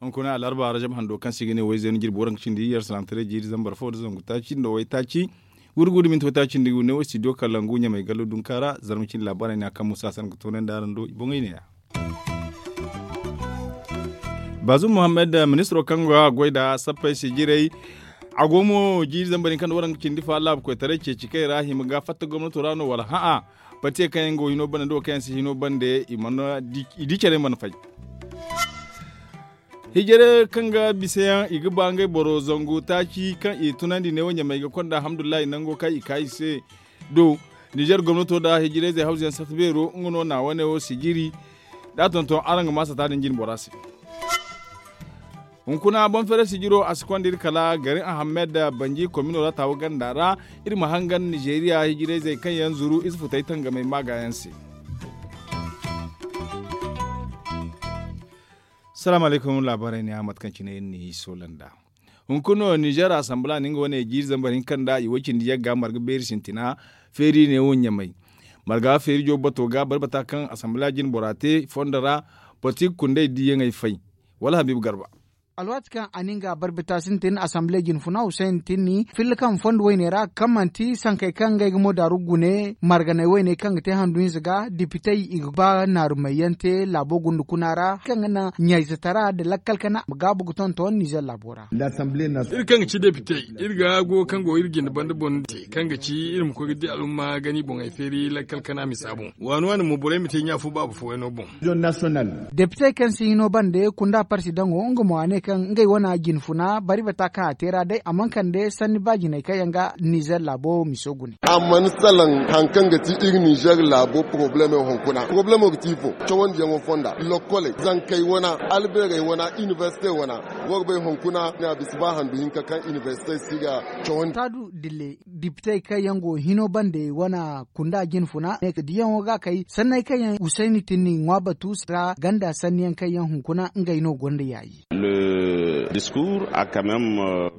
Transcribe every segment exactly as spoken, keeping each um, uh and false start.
Hunkuna alarba rajab hando kaŋ se i ga ne wayzey no jirbi waranka cindi yer salaamataray jiiri zambar fo nda zangu taaci nda waytaaci. Wurgu nda minti waytaaci nda i ga ne wo studio kalangu ɲamay gallo dunka ra zarma cindi laabaarey ne a kaŋ musa sanda ga toonandi araŋ do i boŋey neeya. Baazum muhammad ministiro kaŋ go a goy nda sappey se jiray. A go mo jiiri zambar hinka nda waranka cindi fa laabu koytaray ceeci kay ra hima ga fatta gomnato ra no wala hã'a. Batiye kaŋ yaŋ go hino banda nda wo kaŋ yaŋ si hino banda i di care mana fay. Hijire kaŋ ga bisa yaŋ i ga ba ngey boro zangu taaci kaŋ i tunandi neewo ɲamey ga konda alhamdulillahi nango kaŋ i ka i se. Do nizer gomnato nda hijirayzey hawzu yaŋ sata beero nga no na wane wo sijiri. Da a tonton araŋ ga ma sata din jine bora se. Hunkuna boŋ fere sijiro a si konda iri kala gari ahammed banji komino ra taawo ganda ra. Iri ma hangan nizeeriya hijirayzey kaŋ yaŋ zuru ize futay tangamey maaga yaŋ se. Salaamu alaykum laabaarey ne a mate kaŋ cine iri n'i soola nd'a. Hunkuna no nizer asanbila na nga wane jiiri zambar hinka nda i way cindi yagga marga beeri sintina feeri ne wo ɲamay. Marga feeri joobu bato ga barbata kaŋ asanbila jine bora te fondo ra. Boro ti ga kundey diiyaŋey fay. Wala habiibu garba. Alwaati kaŋ a na nga barbata sintin asanbile jine funa husayn tinni filla kaŋ fondo wayne ra kaŋ manti sankey kaŋ ngey ga mo daaru gune marganey wayne kaŋ ga te handu hinza ga dipitey i ga ba naarumayyaŋ te laabo gunda kuna ra kaŋ ga naŋ ɲayzatara nda lakkal kana ma gaabu ga tonton nizer laabo ra. Iri kaŋ ga ci depite iri ga go kaŋ go iri jinde banda boŋ te kaŋ ga ci iri ma koy ga di alumma gani boŋey feeri lakkal kana misa boŋ. Waani waani mo borey ma te ɲa fo baaba fo wayno boŋ. Depite kaŋ si hino bande kunda parsi daŋo nga mo a ne kaŋ ngey wana jine funa bari bata kaŋ a te ra day a mana kande sanni baajiney kaŋ yaŋ ga nizer laabo miso gune. A mana salaŋ hari kaŋ ga ti iri nizer laabo poroblemo hunkuna poroblemo ga ti ifo cawandiyaŋo fonda lokkoley zankey wana albeerey wana inibersite wana. War bay hunkuna ne a bisa ba handu hinka kaŋ inibersitey si ga cawandi. Taadu dille dipitey kaŋ yaŋ go hino bande wana kunda jine funa ne ka diyaŋo ga kay sanney kaŋ yaŋ husayni tinni ŋwa batu ra ganda sanniyaŋ kaŋ yaŋ hunkuna ngey no gonda yaayi. Diskur a kamem.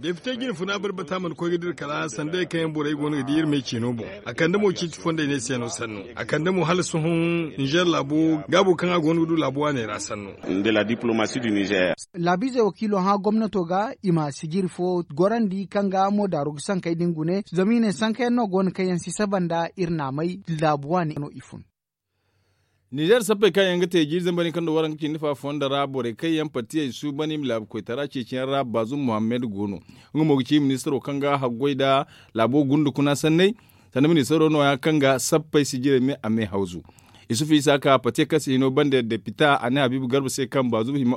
Depite jine funa barbata mana koy ga dira kala sandey kaŋ yaŋ borey go no ga di iri me ceeno boŋ. A kande mo ciiti fondey ne se no sannu a kande mo hala sohõ nizer laabo gaabo kaŋ a go no ga du laabo waaney ra sannu. Nda la diplomasi du nizer. Laabiizey wakiilo hã gomnato ga i ma sijiri fo gorandi kaŋ ga mo daaru ga sankey din gune zama i ne sankayaŋ no go no kaŋ yaŋ si saba nda iri naamay laabu waani no i fun. Nizer sappey kaŋ yaŋ ga te jiiri zambar hinka nda waranka cindi fa fondo ra borey kaŋ yaŋ partiyey suuban i ma laabu koytara ceeciyaŋ ra baazum muhammad go no. Nga mo ga ci ministiro kaŋ ga haggoy nda laabo gunda kuna sanney. Sanda ministiro nooya kaŋ ga sappey sijirey me a me hawzu. Isufu isa ka pate kaŋ si hino banda depita a ne habiibu garba se kaŋ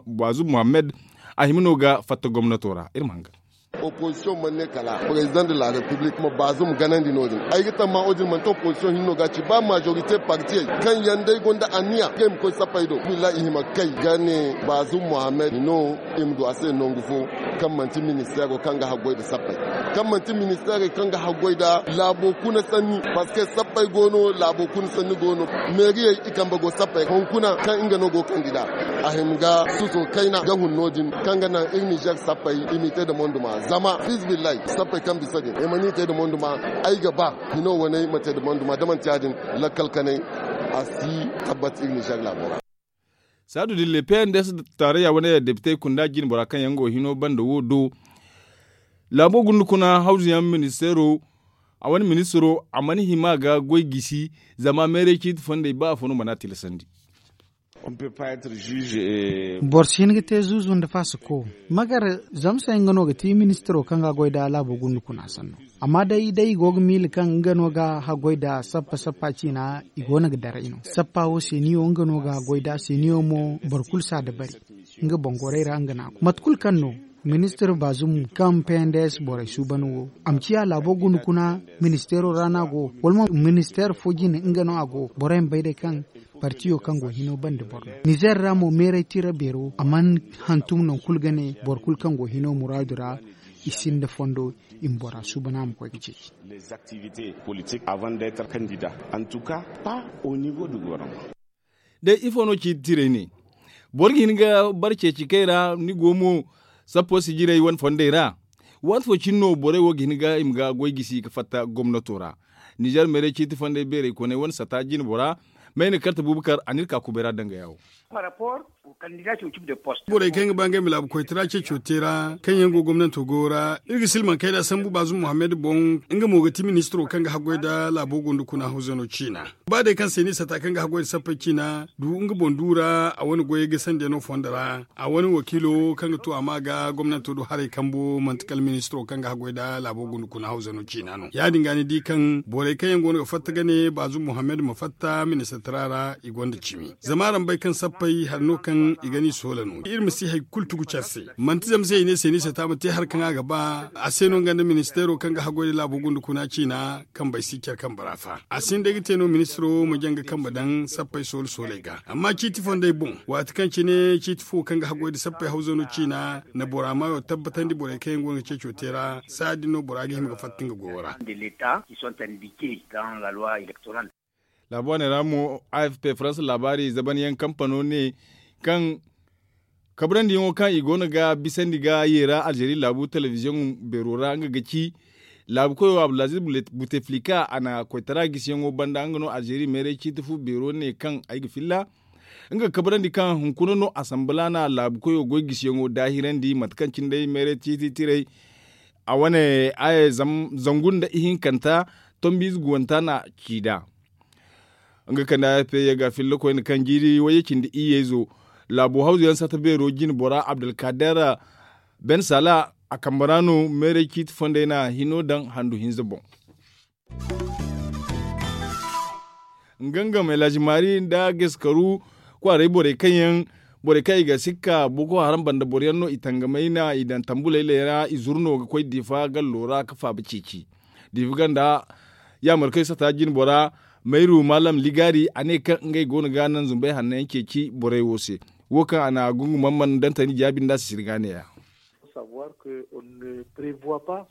baazum muhammad a hima no ga fatta gomnato ra iri ma hanga. Opozisiyoŋ mana ne kala prezidaŋ de la repiblik ma baazum ganandi no- din ay ga tamma wo- din manti opozisiyoŋ hinne no ga a ci ba majorite partiyey kaŋ yaŋ day gonda anniya kaŋ i ma koy sappey do billahi i hima ga kay ga ne baazum muhammad no i ma du a se nangu fo kaŋ manti ministeero kaŋ ga haggoy nda sappey kaŋ manti ministeerey kaŋ ga haggoy nda laabo kuna sanni parceque sappey go no laabo kuna sanni go no meeriyey i kambe go sappey hunkuna kaŋ nga no go kandida a hima ga suso kayna ga hun no- din kaŋ ga naŋ iri nizer sappey i m'i te nda monduma zama fizibillahi sappey kaŋ bisa din i mana i te nda monduma ay ga ba hino waney ma te nda monduma da manti ya- din lakkal kanay a si tabbat iri nizer laabo ra. Saadu dille pnds tarayya wane depitey kunda jine bora kaŋ yaŋ go hino banda wo do laabo gunda kuna hawzu yaŋ ministeero a wane ministiro a mana hima ga goy gisi zama meerey ciiti fondey ba afo no mana tilasandi. Boro si hin ga te zuuzu nda faasako magar zamsey nga no ga ti ministiro kaŋ ga goy nda laabo gunda kuna sanno. Amma day day i go ga miila kaŋ nga no ga haggoy nda sappa sappa ciina i go no ga daray no sappa wo seeniyo nga no ga haggoy nda seeniyo mo boro kulu si a dabari. Nga boŋ gorey ra nga no a go mate kulu kaŋ no ministir baazum kaŋ pnds borey suuban wo a ma ciya laabo guna kuna ministeero ra no a go wala mo ministeer fo jine nga no a go borey ma bay day kaŋ partiyo kaŋ go hino banda boro no nizer ra mo meeray tira beero a mana hantum nangu kulu ga ne boro kulu kaŋ go hino muraadu ra i sinda fondo i ma bora suuban a ma koy ga ceeci. Day ifo no ci tiray ne boro ga hin ga bara ceeci kay ra ni go mo sappo si jiray wane fondey ra. Waati fo cine no borey wo ga hin ga i ma ga goy gisi ga fatta gomnato ra. Nizer meeray ciiti fonday beeray koney wane sata jine bora mayna karte bubakar a n'iri ka kubay ra danga yaawo. Borey kaŋ ga ba ngey ma laabu koytara ceeco te ra kaŋ yaŋ go gomnanto goyo ra iri ga silmaŋ kayda sambu baazum muhammad boŋ. Nga mo ga ti ministiro kaŋ ga haggoy nda laabo gunda kuna hawzano ciina. Ba day kaŋ se ni sata kaŋ ga haggoy nda sappey ciina du nga boŋ du ra a wane goyey ga sandey no fondo ra. A wane wakiilo kaŋ ga tu a ma ga gomnanto do haray kambo manti kala ministiro kaŋ ga haggoy nda laabo gunda kuna hawzano ciina no ya- din ga ni di kaŋ borey kaŋ yaŋ go no ga fatta ga ne baazum muhammad ma fatta ministatara ra i gonda cimi. Zama araŋ bay kaŋ sappey hari no kaŋ i ga ni soola no iri ma si hari kulu tugu care se. Manti zama se i ne se ni sata ma te hari kaŋ a ga ba a se no nga nda ministeero kaŋ ga haggoy nda laabo gunda kuna ciina kambey si care kambe ra fa a si ni day ga te no ministiro ma jaŋ ga kambe daŋ sappey soola sooley ga amma ciiti fonday boŋ waati kaŋ cine ciiti fo kaŋ ga haggoy nda sappey hawzano ciina na bora maayo tabbatandi borey kaŋ yaŋ go no ga ceeco te ra saaya din no bora ga hima ga fatta nga goyo ra. Laabu wane ra mo a f p faransa laabaari zabanyaŋ kampano ne kaŋ kabrandi yaŋo kaŋ i go no ga bisandi ga yeera alzeeri laabu telebiziyoŋ beero ra nga ga ci laabu koyo abdulaziz buteflika a na koytara gisiyaŋo banda nga no alzeeri meeray ciiti fu beero ne kaŋ ay ga filla nga ga kabrandi kaŋ hunkuna no asambalana laabu koyo goy gisiyaŋo daahirandi mate kaŋ cine day meeray ciiti tiray. A wane zangu nda ihinkanta tombiize guwanta na ci nd'a. Nga kande a f p ye ga filla koyne kaŋ jiiri wayye cindi iyyeezo laabo hawzu yaŋ sata beero jine bora abdulkader ben sala a kambe ra no meeray ciiti fondey na hino daŋ handu hinza boŋ. Nga nga meelazi maari nda geskaru kwaarey borey kaŋ yaŋ borey kaŋ i ga sikka boko haram banda boro yaŋ no i tangamay na i daŋ tambuley ra i zuru no ga koy diifa gallo ra ga faaba ceeci. Diifa ganda yaamarkoy sata jine bora mayru maalam ligaari a ne kaŋ ngey go no ga naŋ zumbey hanno yaŋ ceeci borey wo se. Wo kaŋ a na gungu mamman dantani jaabi nda a si sirga ne ya.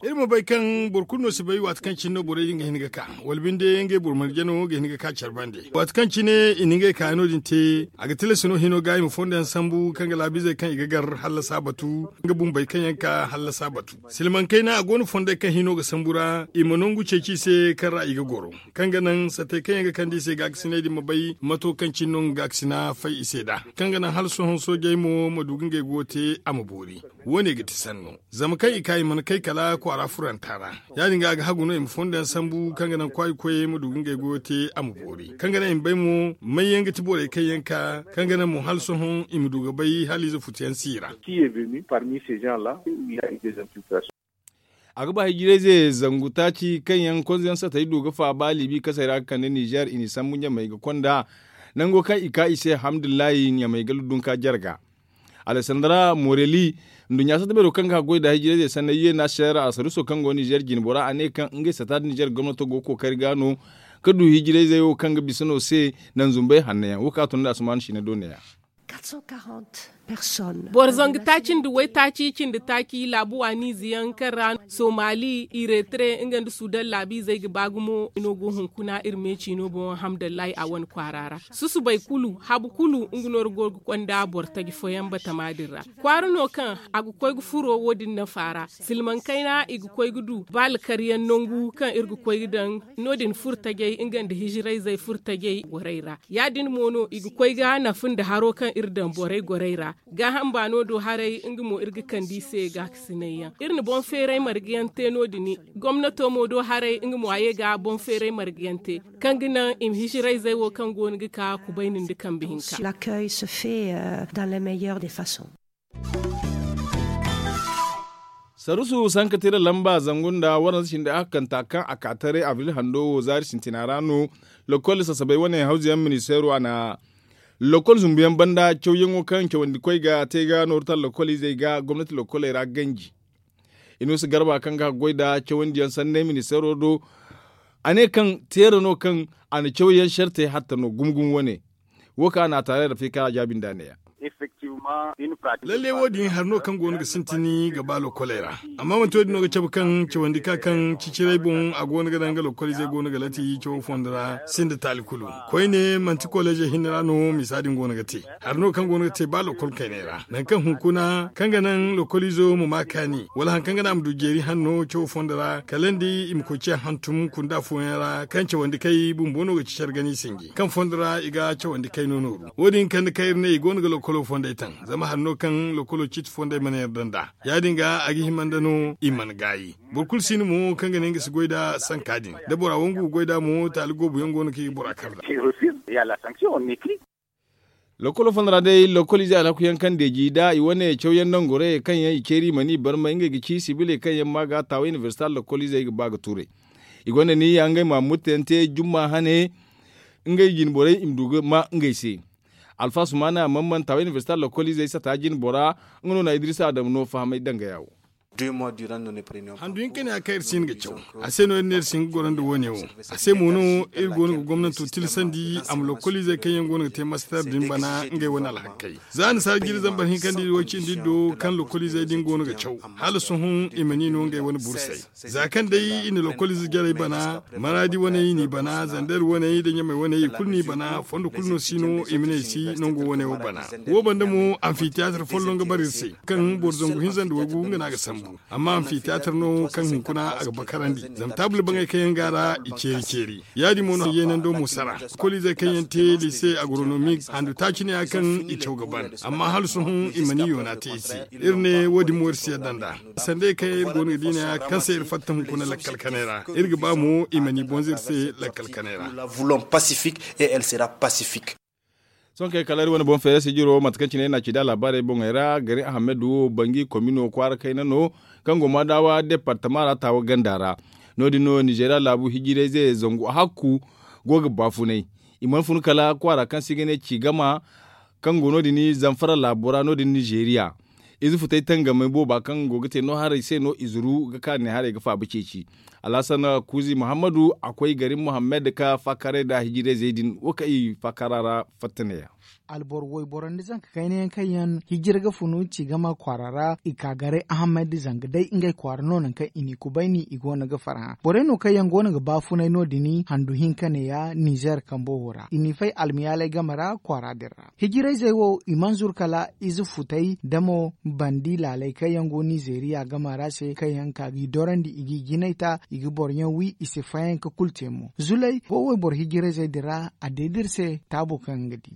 Iri ma bay kaŋ boro kulu no si bay waati kaŋ cine no borey din ga hin ga ka wala binde ngey boro marjano ga hin ga ka care bande waati kaŋ cine i na ngey kaayaŋo din te. A ga tilas no hino ga i ma fondo yaŋ sambu kaŋ ga laabiizey kaŋ i ga gar hallasa batu nga bumbey kaŋ yaŋ ka hallasa batu. Silmaŋ kayna a go no fondey kaŋ hino ga sambu ra i ma nangu ceeci i se kaŋ ra i ga goro kaŋ ga naŋ satey kaŋ yaŋ ga kande i se gaakasiney din ma bay mato kaŋ cine no nga gaakasina fay i se nd'a kaŋ ga naŋ hala sohõ soojey mo ma du ga ngey goyo te a ma boori. Wo- ne ga ti sanno zama kaŋ i ka i mana kay kala kwaara furanta ra. Ya- din ga a ga hagu no i ma fondo yaŋ sambu kaŋ ga naŋ kwaayi koyey ma du ga ngey goyo te a ma boori kaŋ ga naŋ i ma bay mo may yaŋ ga ti borey kaŋ yaŋ ka kaŋ ga naŋ mo hala sohõ i ma du ga bay hala ize futu yaŋ si i ra. A ga ba hijirayze zangu taaci kaŋ yaŋ konzo yaŋ satey du ga faaba libi kasey ra ga kande nizer i n'i sambu ɲamey ga konda nango kaŋ i ka i se hamdullahi ɲamey ga luddunka jarga. Alessandra morelli nduɲɲa sata beero kaŋ ga haggoy nda hijirayzey sanney u n h r a saruso kaŋ go nizer jine bora a ne kaŋ ngey sata nda nizer gomnato go ga kookari ga no ga du hijirayzey wo kaŋ ga bisa no se. Naŋ zumbey hanno yaŋ wo kaŋ a tun nda asuman sine do ne- ya. Boro zangu taaci nda waytaaci cindi taaci laabu waaniize yaŋ kaŋ ra somali iretere nga nda sudan laabiizey ga ba gumo no go hunkuna iri me ciino boŋ hamdallahi a wane kwaara ra. Susubay kulu habu kulu nga no iri go ga konda boro taji fooyaŋ batama din ra. Kwaara no kaŋ a ga koy ga furo wo- din nafa ra silmaŋ kayna i ga koy ga du ba alkaryaŋ nangu kaŋ iri ga koy ga daŋ no- din furo tajey nga nda hijirayzey furo tajey gorey ra. Ya- din mo no i ga koy ga nafa nda haro kaŋ iri daŋ borey gorey ra. Gaaham baano do haray nga mo iri ga kande i se gaakasinay yaŋ iri na boŋ feeray marga yaŋ te no- din. Gomnato mo do haray nga mo a ye ga boŋ feeray marga yaŋ te kaŋ ga naŋ i ma hijirayzey wo kaŋ go no ga ka kubayni nda kambe hinka. Sarusu sankatira lamba zangu nda waranza cindi ahakanta kaŋ a ka taray abril hando wo zaari sintina ra no. Lokol sasabay wane hawzu yaŋ ministeero a na lokol zumbu yaŋ banda cawyaŋo kaŋ cawandi koy ga te ga nooru taŋ lokol izey ga gomnati lokoley ra ganji. Inuusa garba kaŋ ga goy nda cawandi yaŋ sanney ministeero do a ne kaŋ teera no kaŋ a na cawyaŋ sarte hatta no gumo gumo wane. Wo kaŋ a na a taaray ra fika a jaabi nda a ne ya. Lalle wo- din hari no kaŋ go no ga sintin ga ba lokoley ra. Amma manti wo- din no ga cabe kaŋ cawandi ka kaŋ ciciray boŋ a go no ga daŋ ga lokoliizey go no ga lati cawo fondo ra sinda taali kulu. Koyne manti kolejey hinne ra no misa din go no ga te. Hari no kaŋ go no ga te ba lokol kayney ra nangu kaŋ hunkuna kaŋ ga naŋ lokoliizo ma ma kaani wala hari kaŋ ga naŋ a ma du jeeri hanno cawo fondo ra kala nda i ma koy ciya hantum kunda fooyaŋ ra kaŋ cawandi kay bumbo no ga ci care gana i sinji kaŋ fondo ra i ga cawandi kay no nooru. Wo- din kande kaŋ iri ne i go no ga lokolo fondey taŋ zama hari no kaŋ lokolo ciiti fondey mana yarda nd'a. Ya- din ga a ga hima nda no i mana gaayi. Boro kulu si no mo kaŋ ga ne nga si goy nd'a sanka din da bora wangu ga goy nd'a mo taali goobu yaŋ go no kaŋ i ga bora kar nd'a. Lokolo fo no ra day lokoliizey alhaku yaŋ kaŋ deeji nda i wane cawyaŋ nangorey kaŋ yaŋ i ceeri i mana i barmay ngey ga ci sibiley kaŋ yaŋ ma ga taawa inibersita lokoliizey ga ba ga tuurey. I gonda niya ngey ma mutteyaŋ te jumma hane ngey jinborey i ma du ga ma ngey se. Alfa sumaana mammanta wa inibersita lokoliizey sata jinbora. Nga no na idiriisa adamu no fahamay dangaya wo. Handu hinka ne a kaŋ iri si hin ga caw. A se no iri ne iri si hin ga goro nda wo- ne wo. A se mo no iri go no ga gomnanto tilasandi a ma lokoliizey kaŋ yaŋ go no ga te mastar din bana ngey wane alhakey. Za annasaara jiri zambar hinka nda iri wo cindi iri do kaŋ lokoliizey din go no ga caw hala sohõ i mana i no ngey wane bursey. Za kaŋ day i na lokoliize jarey bana maraadi waney i n'i bana zander waney nda ɲamey waney i kulu n'i bana fondo kulu no si no i ma ne i si nango waney wo bana. Wo banda mo amfitiyaatar folloŋ ga bara iri se kaŋ boro zangu hinza nda waygu nga no a ga sambu. Amma amfitiyaatar no kaŋ hunkuna a ga bakarandi zama taabul baŋey kaŋ yaŋ go a ra i ceeri ceeri. Ya- din mo no yeenando mo sara koliizey kaŋ yaŋ te liise agronomik handu taaci ne ya kaŋ i caw ga ban. Amma hala sohõ i mana i yoona te i se. Iri ne wo- din mo iri si yadda nd'a. Sanday kaŋ iri go no ga di ne ya kaŋ se iri fatta hunkuna lakkal kanay ra iri ga ba mo i mana i bonza iri se lakkal kanay ra. Sohõ kay kala iri wane boŋ feera sijiro mate kaŋ cine iri na ci da laabaarey boŋey ra gari ahamed wo bangi komino kwaara kayna no kaŋ go ma daawa departama ra taawa ganda ra. No- din no nizeeriya laabu hijirayze zangu hakku go ga baafunay. I mana fun kala kwaara kaŋ se i ga ne ci gama kaŋ go no- din zamfara laabo ra no- din nizeeriya. Ize futay tangamey booba kaŋ go ga te no haray se no i zuru ga ka ne haray ga faaba ceeci. Alhasan kuuzi muhammadu a koy gari muhammad ka faakaaray nda hijirayzey din wo kaŋ i faakaara ra fatta neeya. Alboro wayboro nda zanka kayna yaŋ kaŋ yaŋ hijira ga funu ci gama kwaara ra i ka garay ahammad zanga day ngey kwaara no nangu kaŋ i n'i kubayni i go no ga farhã borey no kaŋ yaŋ go no ga baafunay no- din handu hinka neeya nizer kambo wo ra i n'i fay almiyaalay game ra kwaara din ra. Hijirayzey wo i mana zuru kala ize futey da mo bandi laaley kaŋ yaŋ go nizeeriya gama ra se kaŋ yaŋ ka ga i dorandi i g'i jinay ta i ga boro yaŋ wi i si fayanka kulu te mo zulay go wayboro hijirayzey din ra a deeda iri se taabo kaŋ ga di.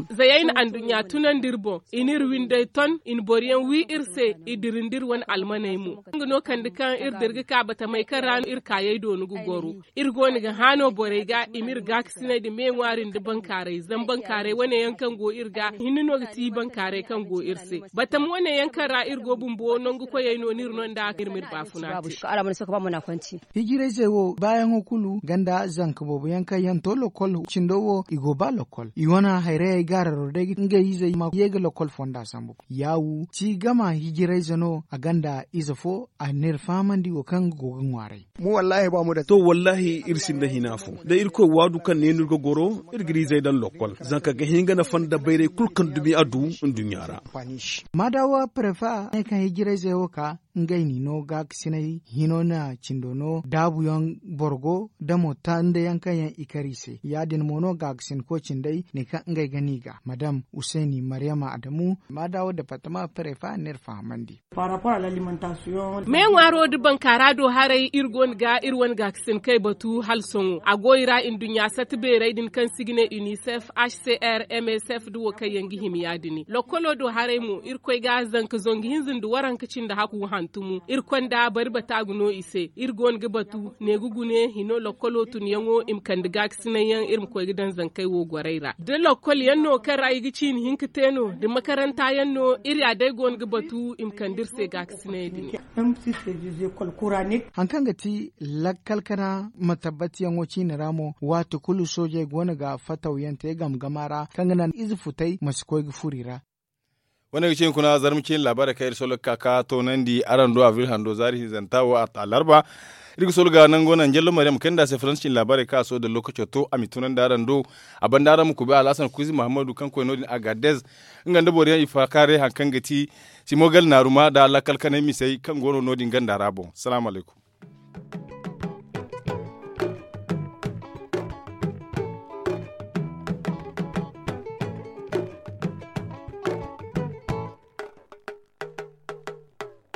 Zayayna anduɲɲa tunandi iri boŋ i n'iri windey ton i na boro yaŋ wi iri se i dirindi iri wane almaney mo. Nga no kande kaŋ iri dira ga ka batamey kaŋ ra no iri kaayey doonu ga goro. Iri go no ga hã no borey ga i m'iri gaakasinay nda me ŋwaari nda bankaaray zama bankaaray wane yaŋ kaŋ go iri ga hinne no ga ti bankaaray kaŋ go iri se. Batama wane yaŋ kaŋ ra iri go bumbo nangu koyey no no iri no nda iri m'iri baafuna te. Hijirayzey wo baayaŋo kulu ganda zanka boobo yaŋ kaŋ yaŋ to lokol cindo wo i go ba lokol i wane hayrayey gaararo day ngey izey ma ye ga lokol fonda sambu. Yaawu ci gama hijirayze no a ganda ize fo a n'iri fahamandi wo kaŋ ga go ga ŋwaaray. To wallaahi iri sinda hina fo da irkoy waadu kaŋ ne no iri ga goro iri ga iri izey daŋ lokol zanka ga hin ga nafa nda bayray kulu kaŋ dumi a du nduɲɲa ra. Maadawa prefa ne kaŋ hijirayzey wo ka ngey n'i no gaakasinay hino na cindo no daabuyaŋ borgo da mo tandayaŋ kaŋ yaŋ i kar i se ya- din mo no gaakasinko cindey ne kaŋ ngey ga n'i ga madam useni maryama adamu maadawa departama prefa n'iri fahamandi. Me ŋwaaro nda bankaara do haray iri go no ga iri wane gaakasinkey batu hala sohõ a go i ra nduɲɲa sata beerey din kaŋ se i ga ne unicef hcr msf nda wo kaŋ yaŋ ga hima ya- din lokkolo do haray mo iri koy ga zanka zangu hinza nda waranka cindi haku hantumo iri konda bari bata ga no i se iri go no ga batu ne ga gune hino lokkolo tunyaŋo i ma kande gaakasinay yaŋ iri ma koy ga daŋ zankey wo gorey ra da lokkol yaŋ no kaŋ ra i ga ciini hinka te no da makaranta yaŋ no iri ya day go no ga batu i ma kande iri se gaakasinay din. Hari kaŋ ga ti lakkal kana ma tabbatiyaŋo ciine ra mo waati kulu soojey go no ga fatawyaŋ te game gama ra kaŋ ga naŋ ize futay ma si koy ga furo i ra. Wane ga cine kuna zarma cine laabaarey kaŋ iri sollo ga ka ka toonandi araŋ do abril hando zaari hinzanta wo alarba. Iri ga solo ga nango naŋ jallo mariyam kay nda a se faransi cine laabaarey kaŋ a sohõ da lookaco to a ma i tunandi araŋ do. A banda araŋ ma kuubi alhasan kuuzi mahammadu kaŋ koy no- din agadez, nga nda boro yaŋ i faakaaray hari kaŋ ga ti simogal naaruma nda lakkal kanay misey kaŋ go no no- din ganda ra boŋ salaamu alaykum.